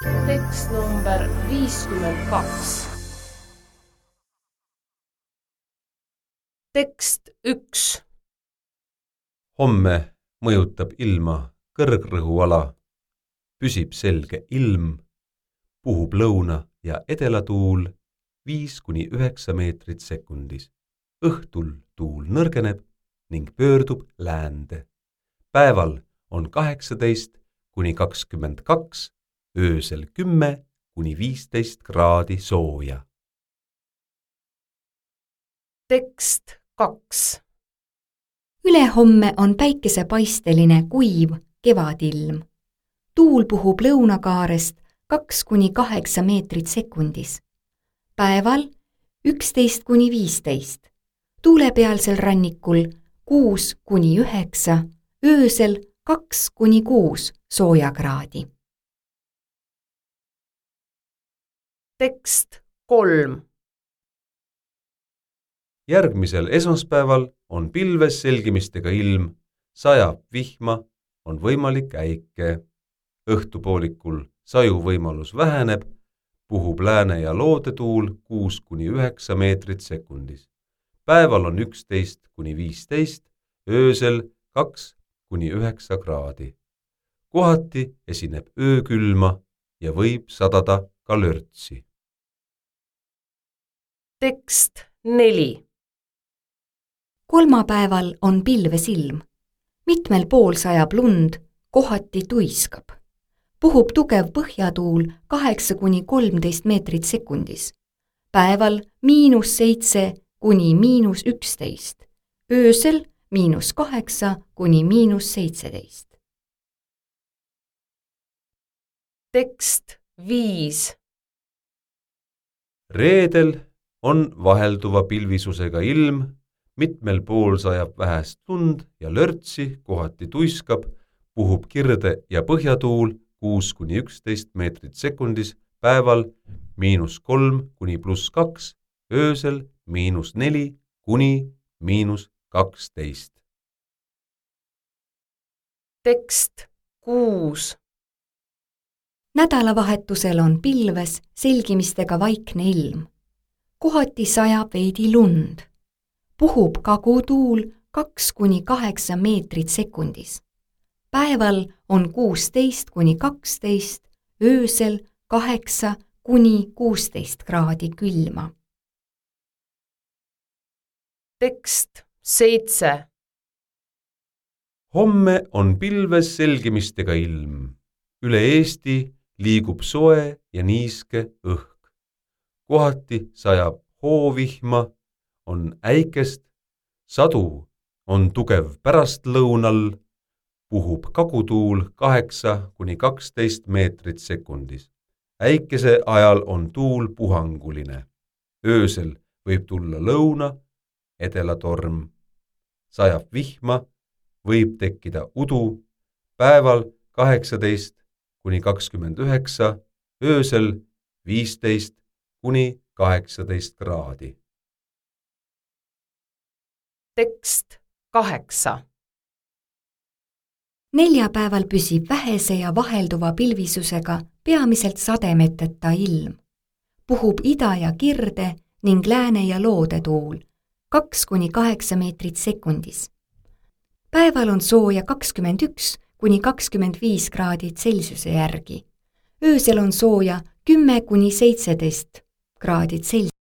Tekst number 52. Tekst 1. Homme mõjutab ilma kõrgrõhuala, püsib selge ilm, puhub lõuna- ja edelatuul 5–9 meetrit sekundis. Õhtul tuul nõrgeneb ning pöördub läände. Päeval on 18–22, öösel 10–15 kraadi sooja. Tekst 2. Ülehomme on päikesepaisteline kuiv kevadilm. Tuul puhub lõunakaarest 2–8 meetrit sekundis. Päeval 11–15, tuulepealsel rannikul 6–9, öösel 2–6 soojakraadi. Tekst 3. Järgmisel esmaspäeval on pilves selgimistega ilm, sajab vihma, on võimalik äike. Õhtupoolikul saju võimalus väheneb, puhub lääne- ja loodetuul 6–9 meetrit sekundis. Päeval on 11–15, öösel 2–9 kraadi. Kohati esineb öökülma ja võib sadada ka lörtsi. Tekst 4. Kolmapäeval on pilves ilm. Mitmel pool sajab lund, kohati tuiskab. Puhub tugev põhjatuul 8–13 meetrit sekundis. Päeval -7––11, öösel -8––17. Tekst 5. Reedel on vahelduva pilvisusega ilm, mitmel pool sajab vähest lund ja lörtsi, kohati tuiskab, puhub kirde- ja põhjatuul 6–11 meetrit sekundis, päeval -3–+2, öösel -4––12. Tekst 6. Nädalavahetusel on pilves selgimistega vaikne ilm. Kohati sajab veidi lund. Puhub kagutuul 2–8 meetrit sekundis. Päeval on 16–12, öösel 8–16 kraadi külma. Tekst 7. Homme on pilves selgimistega ilm. Üle Eesti liigub soe ja niiske õhk. Kohati sajab hoovihma, on äikest, sadu on tugev pärastlõunal, puhub kagutuul 8–12 meetrit sekundis. Äikese ajal on tuul puhanguline. Öösel võib tulla lõuna- edelatorm. Sajab vihma, võib tekkida udu, päeval 18–29, öösel 15–18 kraadi. Tekst 8. Neljapäeval püsib vähese ja vahelduva pilvisusega peamiselt sademeteta ilm. Puhub ida- ja kirde ning lääne- ja loodetuul 2–8 meetrit sekundis. Päeval on sooja 21–25 kraadi Celsiuse järgi. Öösel on sooja 10–17 kraadi Celsiuse.